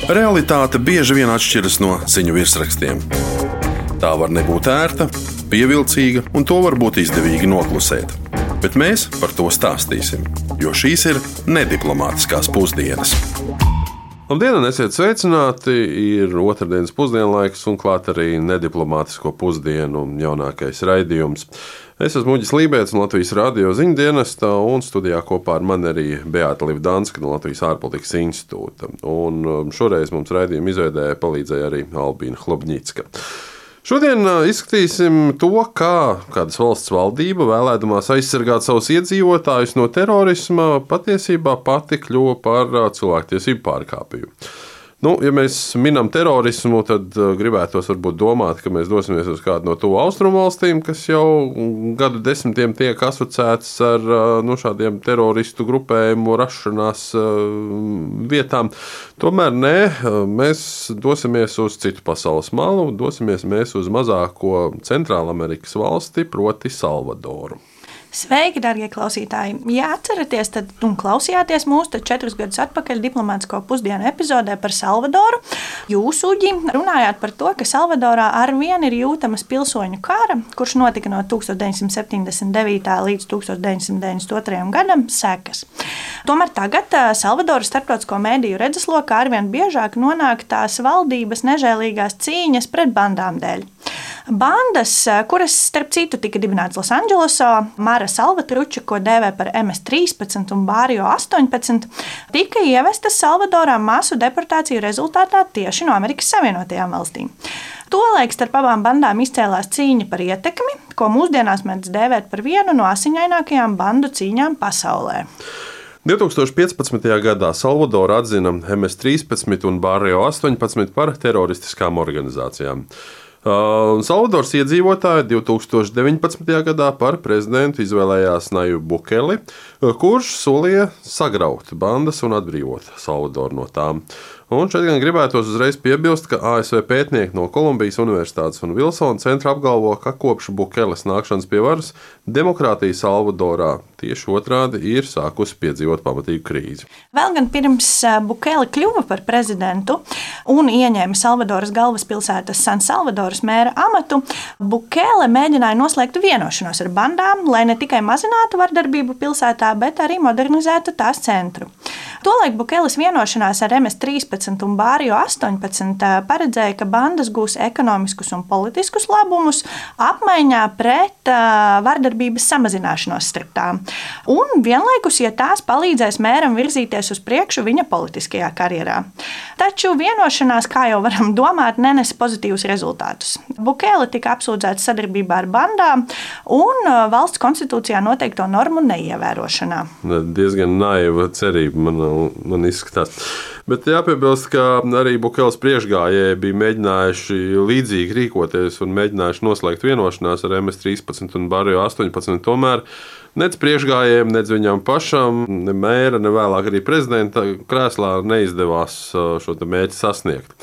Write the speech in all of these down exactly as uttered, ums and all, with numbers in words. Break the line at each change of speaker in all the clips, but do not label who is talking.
Realitāte bieži vien atšķiras no ziņu virsrakstiem. Tā var nebūt ērta, pievilcīga, un to var būt izdevīgi noklusēt. Bet mēs par to stāstīsim, jo šīs ir nediplomātiskās pusdienas.
Labdien, un esiet sveicināti! Ir otrdienas pusdienlaiks un klāt arī nediplomātisko pusdienu jaunākais raidījums. Es esmu Uģis Lībēts no Latvijas radio ziņdienesta, un studijā kopā ar mani arī Beāta Livdanska no Latvijas ārpolitikas institūta. Un šoreiz mums raidījuma izveidē palīdzēja arī Albīna Hlobņicka. Šodien izskatīsim to, kā kādas valsts valdība, vēlēdamās aizsargāt savus iedzīvotājus no terorisma, patiesībā pati kļuva par cilvēktiesību pārkāpēju. Nu, ja mēs minam terorismu, tad gribētos varbūt domāt, ka mēs dosimies uz kādu no tuvu austrumu valstīm, kas jau gadu desmitiem tiek asociētas ar nu, šādiem teroristu grupējumu rašanās vietām. Tomēr nē, mēs dosimies uz citu pasaules malu, dosimies mēs uz mazāko Centrālamerikas valsti, proti Salvadoru.
Sveiki, darbie klausītāji! Ja atceraties, tad un klausījāties mūsu tad četrus gadus atpakaļ diplomātisko pusdienu epizodē par Salvadoru. Jūs, Uģi, runājāt par to, ka Salvadorā arvien ir jūtamas pilsoņu kara, kurš notika no tūkstoš deviņsimt septiņdesmit devītā līdz tūkstoš deviņsimt deviņdesmit otrajam gadam sekas. Tomēr tagad Salvadoras starptautisko mediju redzeslokā arvien biežāk nonāk tās valdības nežēlīgās cīņas pret bandām dēļ. Bandas, kuras, starp citu, tika dibinātas Losandželosā, Mara Salvatruča, ko dēvē par M S trīspadsmit un Barrio astoņpadsmit, tika ievestas Salvadorā masu deportāciju rezultātā tieši no Amerikas Savienotajām valstīm. Tolaik starp abām bandām izcēlās cīņa par ietekmi, ko mūsdienās mēdz dēvēt par vienu no asiņainākajām bandu cīņām pasaulē.
divtūkstoš piecpadsmitajā gadā Salvadora atzina M S trīspadsmit un Barrio astoņpadsmit par teroristiskām organizācijām. Uh, Salvadoras iedzīvotāji divtūkstoš deviņpadsmitajā gadā par prezidentu izvēlējās Najibu Bukeli, kurš solīja sagraut bandas un atbrīvot Salvadoru no tām. Un šeit gan gribētos uzreiz piebilst, ka A S V pētnieki no Kolumbijas Universitātes un Vilsona centra apgalvo, ka kopš Bukeles nākšanas pie varas demokrātija Salvadorā tieši otrādi ir sākusi piedzīvot pamatīgu krīzi.
Vēl gan pirms Bukele kļuva par prezidentu un ieņēma Salvadoras galvaspilsētas San Salvadoras mēra amatu, Bukele mēģināja noslēgt vienošanos ar bandām, lai ne tikai mazinātu vardarbību pilsētā, bet arī modernizētu tās centru. Tolaik Bukeles vienošanās ar M S trīspadsmit un Barrio astoņpadsmit paredzēja, ka bandas gūs ekonomiskus un politiskus labumus apmaiņā pret uh, vardarbības samazināšanos starp tām. Un vienlaikus, ja tās palīdzēs mēram virzīties uz priekšu viņa politiskajā karjerā. Taču vienošanās, kā jau varam domāt, nenes pozitīvus rezultātus. Bukele tika apsūdzēts sadarbībā ar bandām un uh, valsts konstitūcijā noteikto normu neievērošanā.
Diezgan naiva cerība man, man izskatās. Bet jāpiebilst, ka arī Bukeles priekšgājēji bija mēģinājuši līdzīgi rīkoties un mēģinājuši noslēgt vienošanās ar M S trīspadsmit un Barrio astoņpadsmit. Tomēr nec priekšgājējiem, nec viņam pašam, ne mēra, ne vēlāk arī prezidenta krēslā neizdevās šo mērķi sasniegt.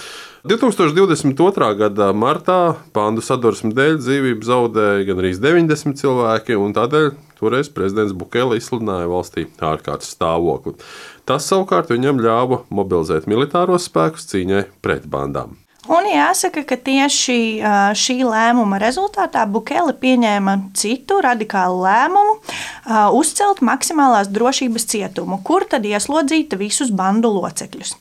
divtūkstoš divdesmit otrā gada martā bandu sadursmes dēļ dzīvību zaudēja gan arī deviņdesmit cilvēki, un tādēļ toreiz prezidents Bukele izsludināja valstī ārkārtas stāvokli. Tas savukārt viņam ļāva mobilizēt militāros spēkus cīņai pret bandām.
Un jāsaka, ka tieši šī lēmuma rezultātā Bukele pieņēma citu radikālu lēmumu uzcelt maksimālās drošības cietumu, kur tad ieslodzīt visus bandu locekļus.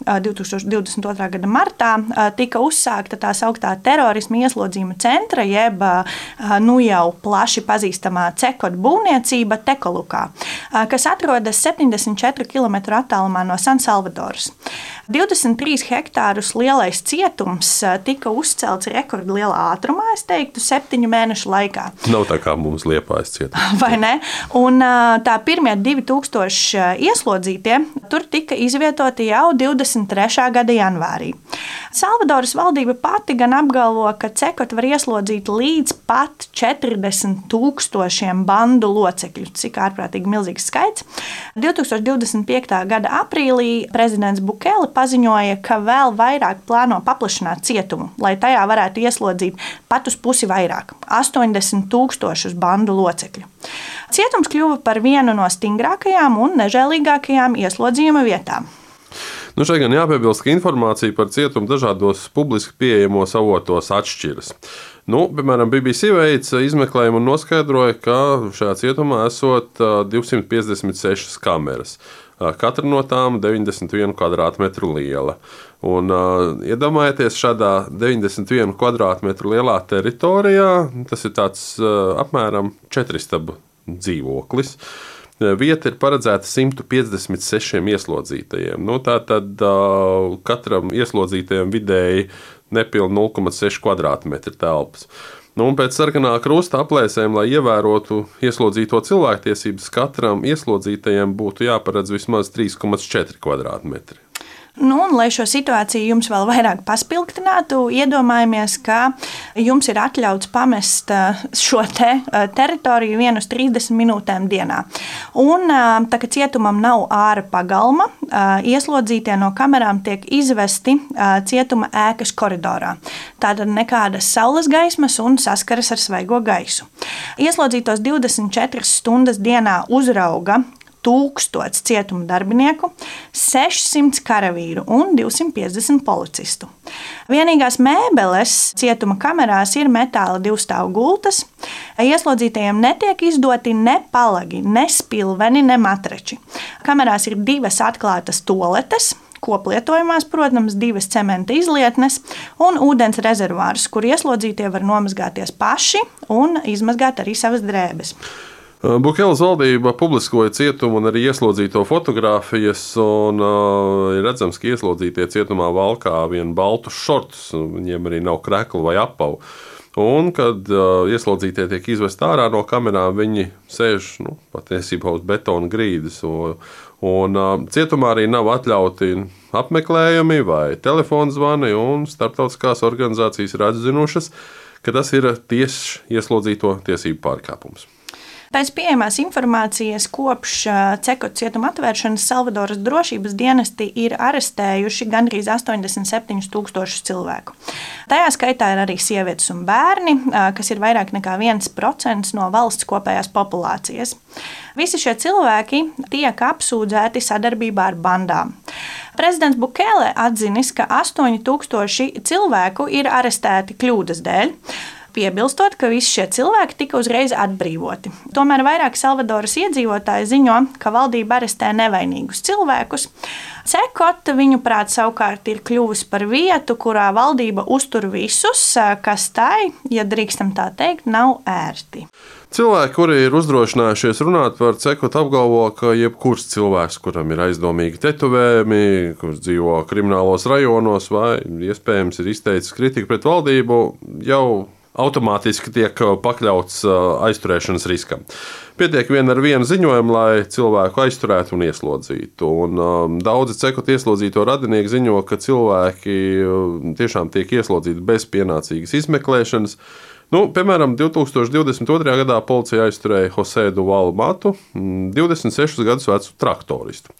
divtūkstoš divdesmit otrā gada martā tika uzsākta tā sauktā terorisma ieslodzījuma centra, jeb nu jau plaši pazīstamā cekot būvniecība Tekolukā, kas atrodas septiņdesmit četru kilometru attālumā no San Salvadoras. divdesmit trīs hektārus lielais cietums tika uzcelts rekordlielā ātrumā, es teiktu, septiņu mēnešu laikā.
Nav tā kā mums Liepājas cietums.
Vai ne? Un tā pirmie divi tūkstoši ieslodzītie tur tika izvietoti jau divdesmit trešā gada janvārī. Salvadoras valdība pati gan apgalvo, ka cekot var ieslodzīt līdz pat četrdesmit tūkstošiem bandu locekļu, cik ārprātīgi milzīgs skaits. divtūkstoš divdesmit piektā gada aprīlī prezidents Bukele paziņoja, ka vēl vairāk plāno paplašināt cietumu, lai tajā varētu ieslodzīt pat uz pusi vairāk – astoņdesmit tūkstošus bandu locekļu. Cietums kļuva par vienu no stingrākajām un nežēlīgākajām ieslodzījuma vietām.
Nu, šeit gan jāpiebilst, ka informācija par cietumu dažādos publiski pieejamos avotos atšķiras. Nu, piemēram, B B C veica izmeklējumu un noskaidroja, ka šajā cietumā esot divsimt piecdesmit sešas kameras. Katra no tām deviņdesmit vienu kvadrātmetru liela. Un, uh, iedomājieties, šādā deviņdesmit vienu kvadrātmetru lielā teritorijā, tas ir tāds uh, apmēram četristabu dzīvoklis. Vieta ir paredzēta simt piecdesmit sešiem ieslodzītajiem. Nu, tā tad uh, katram ieslodzītajam vidēji nepilni nulle komats seši kvadrātmetri telpas. Nu, pēc sarkanā krusta aplēsēm, lai ievērotu ieslodzīto cilvēktiesības, katram ieslodzītajam būtu jāparedz vismaz trīs komats četri kvadrātmetri.
Nu, un, lai šo situāciju jums vēl vairāk paspilgtinātu, iedomājamies, ka jums ir atļauts pamest šo te teritoriju vienu uz trīsdesmit minūtēm dienā. Un, tā kā cietumam nav āra pagalma, ieslodzītie no kamerām tiek izvesti cietuma ēkas koridorā. Tātad nekādas saules gaismas un saskaras ar svaigo gaisu. Ieslodzītos divdesmit četras stundas dienā uzrauga tūkstots cietuma darbinieku, sešsimt karavīru un divsimt piecdesmit policistu. Vienīgās mēbeles cietuma kamerās ir metāla divstāvu gultas. Ieslodzītajiem netiek izdoti ne palagi, ne spilveni, ne matrači. Kamerās ir divas atklātas toaletes, koplietojumās, protams, divas cementa izlietnes un ūdens rezervārs, kur ieslodzītie var nomazgāties paši un izmazgāt arī savas drēbes.
Bukeles valdība publiskoja cietumu un arī ieslodzīto fotogrāfijas, un uh, ir redzams, ka ieslodzītie cietumā valkā vienu baltu šortus, viņiem arī nav kreklu vai apavu. Un, kad uh, ieslodzītie tiek izvest ārā no kamerām, viņi sēž nu, patiesībā uz betona grīdas. Un, un uh, cietumā arī nav atļauti apmeklējumi vai telefona zvani, un starptautiskās organizācijas ir atzinušas, ka tas ir tieši ieslodzīto tiesību pārkāpums.
Pēc pieejamās informācijas kopš Cekota cietuma atvēršanas Salvadoras drošības dienesti ir arestējuši gandrīz astoņdesmit septiņus tūkstošus cilvēku. Tajā skaitā ir arī sievietes un bērni, kas ir vairāk nekā viens procents no valsts kopējās populācijas. Visi šie cilvēki tiek apsūdzēti sadarbībā ar bandām. Prezidents Bukele atzinis, ka astoņi tūkstoši cilvēku ir arestēti kļūdas dēļ, piebilstot, ka visi šie cilvēki tika uzreiz atbrīvoti. Tomēr vairāk Salvadoras iedzīvotāji ziņo, ka valdība arestē nevainīgus cilvēkus. Cekota, viņuprāt, savukārt ir kļuvusi par vietu, kurā valdība uztur visus, kas tai, ja drīkstam tā teikt, nav ērti.
Cilvēki, kuri ir uzdrošinājušies runāt par Cekotu, apgalvo, ka jebkurš cilvēks, kuram ir aizdomīgi tetovējumi, kurš dzīvo kriminālos rajonos vai iespējams ir izteicis kritiku pret valdību, jau automātiski tiek pakļauts aizturēšanas riskam. Pietiek vien ar vienu ziņojumu, lai cilvēku aizturētu un ieslodzītu. Un, um, daudzi Cekota ieslodzīto radinieki ziņo, ka cilvēki tiešām tiek ieslodzīti bez pienācīgas izmeklēšanas. Nu, piemēram, divi tūkstoši divdesmit otrajā gadā policija aizturēja Jose Duvalu Matu, divdesmit sešus gadus vecu traktoristu.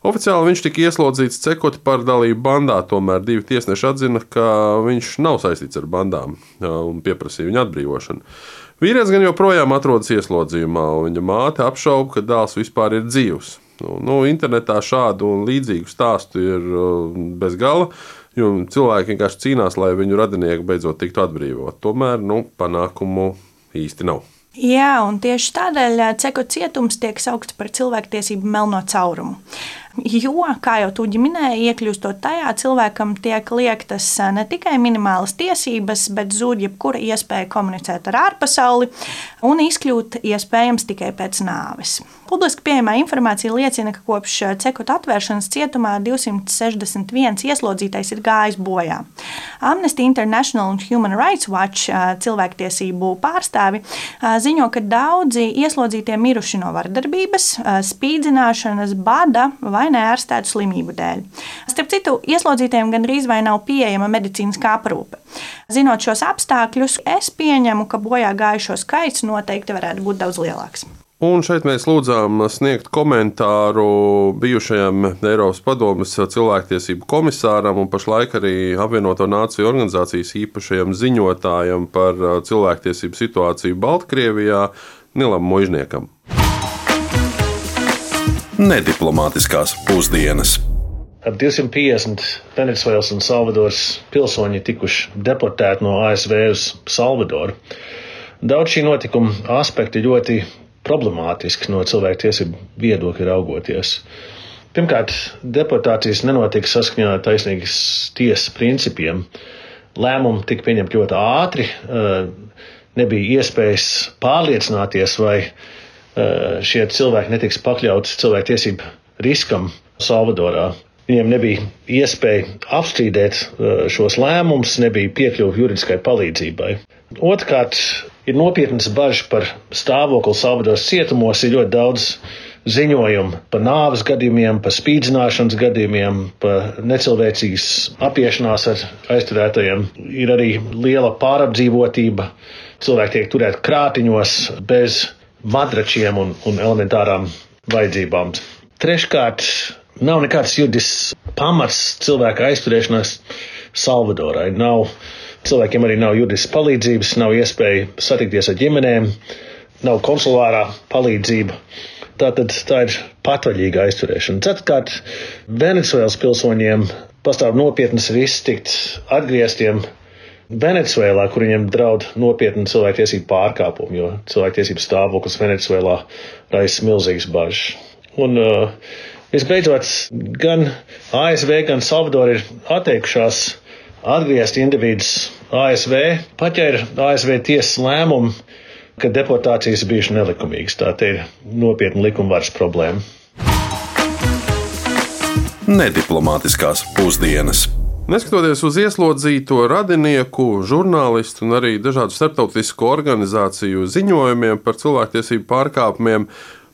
Oficiāli viņš tika ieslodzīts Cekota par dalību bandā, tomēr divi tiesneši atzina, ka viņš nav saistīts ar bandām un pieprasīja viņa atbrīvošanu. Vīrietis gan joprojām atrodas ieslodzījumā, un viņa māte apšauba, ka dēls vispār ir dzīvs. Nu, nu, internetā šādu un līdzīgu stāstu ir bez gala, jo cilvēki vienkārši cīnās, lai viņu radinieki beidzot tiktu atbrīvot. Tomēr nu, panākumu īsti nav.
Jā, un tieši tādēļ Cekota cietums tiek saukts par cilvēktiesību melno caurumu. Jo, kā jau Tuģi minēja, iekļūstot tajā, cilvēkam tiek liektas ne tikai minimālas tiesības, bet zūd jebkura iespēja komunicēt ar ārpasauli un izkļūt iespējams tikai pēc nāves. Publiski pieejamā informācija liecina, ka kopš Cekota atvēršanas cietumā divsimt sešdesmit viens ieslodzītais ir gājis bojā. Amnesty International un Human Rights Watch cilvēktiesību pārstāvi ziņo, ka daudzi ieslodzītie miruši no vardarbības, spīdzināšanas, bada vai neārstētu slimību dēļ. Starp citu, ieslodzītiem gandrīz vai nav pieejama medicīniskā aprūpe. Zinot šos apstākļus, es pieņemu, ka bojā gājušo skaits noteikti varētu būt daudz lielāks.
Un šeit mēs lūdzām sniegt komentāru bijušajam Eiropas padomes cilvēktiesību komisāram un pašlaik arī Apvienoto Nāciju organizācijas īpašajam ziņotājam par cilvēktiesību situāciju Baltkrievijā Nilam Muižniekam.
Nediplomātiskās pusdienas.
ap divsimt piecdesmit Venecuēlas un Salvadoras pilsoņi tikuši deportēti no A S V uz Salvadoru. Daudz šī notikuma aspekti ļoti problemātiski no cilvēktiesību viedokļa raugoties. Pirmkārt, deportācijas nenotika saskaņā ar taisnīgas tiesas principiem. Lēmumi tika pieņemti ļoti ātri, nebija iespējas pārliecināties, vai šie cilvēki netiks pakļauti cilvēktiesību riskam Salvadorā. Viņiem nebija iespēja apstrīdēt šos lēmumus, nebija piekļuva juridiskai palīdzībai. Otrkārt, ir nopietnas bažas par stāvokli Salvadoras cietumos, ir ļoti daudz ziņojumu par nāves gadījumiem, par spīdzināšanas gadījumiem, par necilvēcīgas apiešanās ar aizturētajiem. Ir arī liela pārapdzīvotība, cilvēki tiek turēti krātiņos bez madračiem un, un elementārām vajadzībām. Treškārt, nav nekāds juridisks pamats cilvēka aizturēšanās Salvadorai. Nav, cilvēkiem arī nav juridiskas palīdzības, nav iespēja satikties ar ģimenēm, nav konsulārā palīdzība. Tātad tā ir patvaļīga aizturēšana. Ceturtkārt, Venecuēlas pilsoņiem pastāv nopietnas risks tikt atgrieztiem Venecuēlā, kur viņiem draud nopietni cilvēktiesību pārkāpumi, jo cilvēktiesību stāvoklis Venecuēlā raisa milzīgas bažas. Un uh, visbeidzot, gan A S V, gan Salvadora ir atteikušās atgriezt individus A S V, pat ja ir A S V tiesas lēmumi, ka deportācijas bijušas nelikumīgas. Tā te ir nopietna likumvaras problēma.
Nediplomātiskās pusdienas.
Neskatoties uz ieslodzīto radinieku, žurnālistu un arī dažādu starptautisku organizāciju ziņojumiem par cilvēktiesību pārkāpumiem,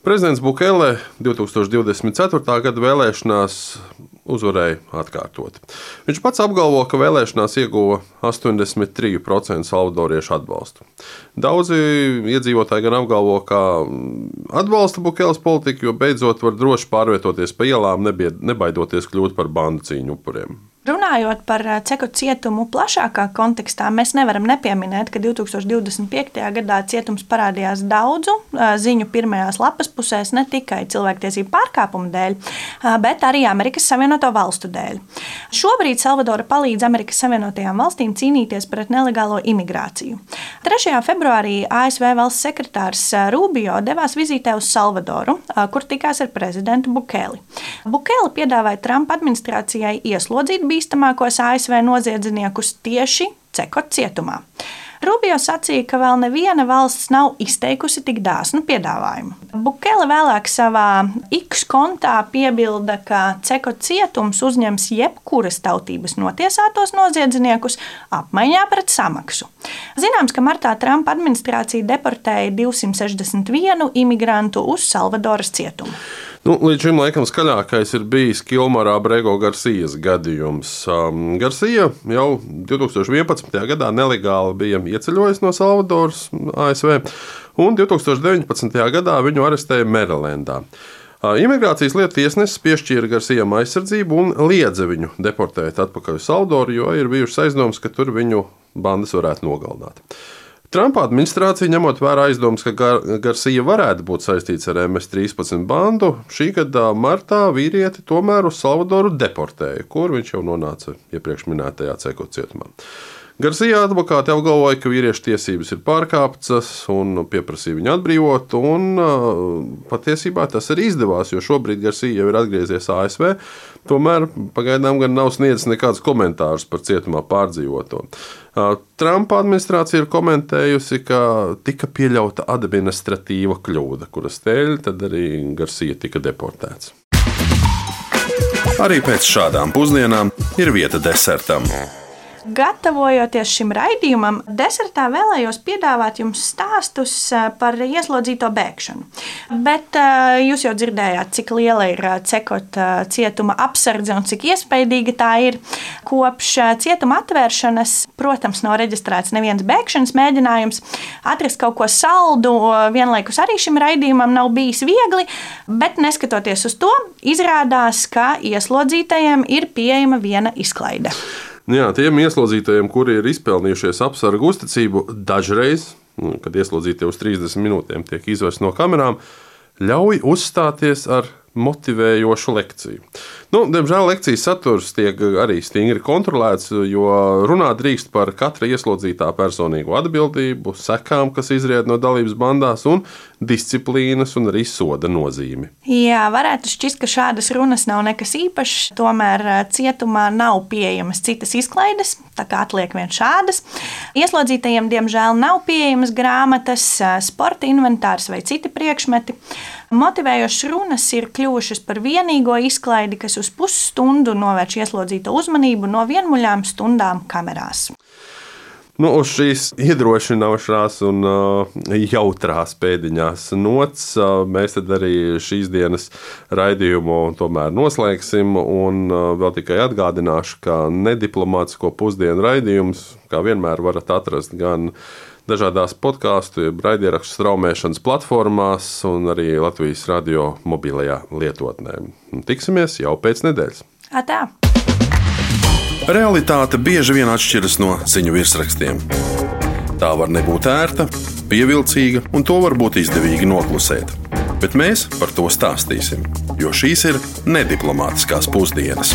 prezidents Bukele divtūkstoš divdesmit ceturtā gada vēlēšanās uzvarēja atkārtot. Viņš pats apgalvo, ka vēlēšanās ieguva astoņdesmit trīs procenti salvadoriešu atbalstu. Daudzi iedzīvotāji gan apgalvo, ka atbalsta Bukeles politiku, jo beidzot var droši pārvietoties pa ielām, nebaidoties kļūt par bandu cīņu upuriem.
Runājot par Ceku cietumu plašākā kontekstā, mēs nevaram nepieminēt, ka divtūkstoš divdesmit piektajā gadā cietums parādījās daudzu ziņu pirmajās lapas pusēs ne tikai cilvēktiesību pārkāpumu dēļ, bet arī Amerikas Savienoto Valstu dēļ. Šobrīd Salvadora palīdz Amerikas Savienotajām valstīm cīnīties pret nelegālo imigrāciju. trešajā februārī A S V valsts sekretārs Rubio devās vizītē uz Salvadoru, kur tikās ar prezidentu Bukeli. Bukele piedāvāja Trumpa administrācijai ieslodzīt bīstamākos A S V noziedzniekus tieši Cekot cietumā. Rubio sacīja, ka vēl neviena valsts nav izteikusi tik dāsnu piedāvājumu. Bukele vēlāk savā X kontā piebilda, ka Cekot cietums uzņems jebkuras tautības notiesātos noziedzniekus apmaiņā pret samaksu. Zināms, ka martā Trumpa administrācija deportēja divsimt sešdesmit vienu imigrantu uz Salvadoras cietumu.
Nu, līdz šim laikam skaļākais ir bijis Kilmarā Brego Garcijas gadījums. Um, Garcija jau divtūkstoš vienpadsmitajā gadā nelegāli bija ieceļojis no Salvadoras A S V, un divtūkstoš deviņpadsmitajā gadā viņu arestēja Merilendā. Uh, Imigrācijas lietu tiesnesis piešķīra Garcijam aizsardzību un liedza viņu deportēt atpakaļ uz Salvadoru, jo ir bijušas aizdomas, ka tur viņu bandas varētu nogalināt. Trumpa administrācija, ņemot vērā aizdomas, ka Gar- Garcija varētu būt saistīts ar M S trīspadsmit bandu, šī gada martā vīrieti tomēr uz Salvadoru deportēja, kur viņš jau nonāca iepriekš minētajā Cekot cietumā. Garcija advokāti apgalvoja, ka vīriešu tiesības ir pārkāptas un pieprasīja viņu atbrīvot, un uh, patiesībā tas arī izdevās, jo šobrīd Garcija jau ir atgriezies A S V, tomēr pagaidām gan nav sniedzis nekādus komentārus par cietumā pārdzīvoto. Uh, Trumpa administrācija ir komentējusi, ka tika pieļauta administratīva kļūda, kuras dēļ tad arī Garcija tika deportēts.
Arī pēc šādām pusdienām ir vieta desertam.
Gatavojoties šim raidījumam, desertā vēlējos piedāvāt jums stāstus par ieslodzīto bēgšanu. Bet jūs jau dzirdējāt, cik liela ir Cekot cietuma apsardze un cik iespaidīga tā ir. Kopš cietuma atvēršanas, protams, nav reģistrēts neviens bēgšanas mēģinājums. Atrast kaut ko saldu vienlaikus arī šim raidījumam nav bijis viegli, bet neskatoties uz to, izrādās, ka ieslodzītajiem ir pieejama viena izklaide.
Jā, tiem ieslodzītajiem, kuri ir izpelnījušies apsargu uzticību, dažreiz, kad ieslodzītie uz trīsdesmit minūtēm tiek izvests no kamerām, ļauj uzstāties ar motivējošu lekciju. Nu, diemžēl lekcijas saturs tiek arī stingri kontrolēts, jo runāt drīkst par katra ieslodzītā personīgo atbildību, sekām, kas izriet no dalības bandās, un disciplīnas un arī soda nozīmi.
Jā, varētu šķist, ka šādas runas nav nekas īpašs, tomēr cietumā nav pieejamas citas izklaides, tā kā atliek vien šādas. Ieslodzītajiem, diemžēl, nav pieejamas grāmatas, sporta inventārs vai citi priekšmeti. Motivējošas runas ir kļuvušas par vienīgo izklaidi, kas uz pusstundu novērš ieslodzīto uzmanību no vienmuļām stundām kamerās.
Nu, uz šīs iedrošinošās un uh, jautrās pēdiņās nots uh, mēs tad arī šīs dienas raidījumu tomēr noslēgsim. Un uh, vēl tikai atgādināšu, ka nediplomātisko pusdienu raidījums, kā vienmēr, varat atrast gan dažādās podkāstu, jeb raidierakstu straumēšanas platformās un arī Latvijas radio mobilajā lietotnē. Tiksimies jau pēc nedēļas.
Atā!
Realitāte bieži vien atšķiras no ziņu virsrakstiem. Tā var nebūt ērta, pievilcīga, un to var būt izdevīgi noklusēt. Bet mēs par to stāstīsim, jo šīs ir nediplomātiskās pusdienas.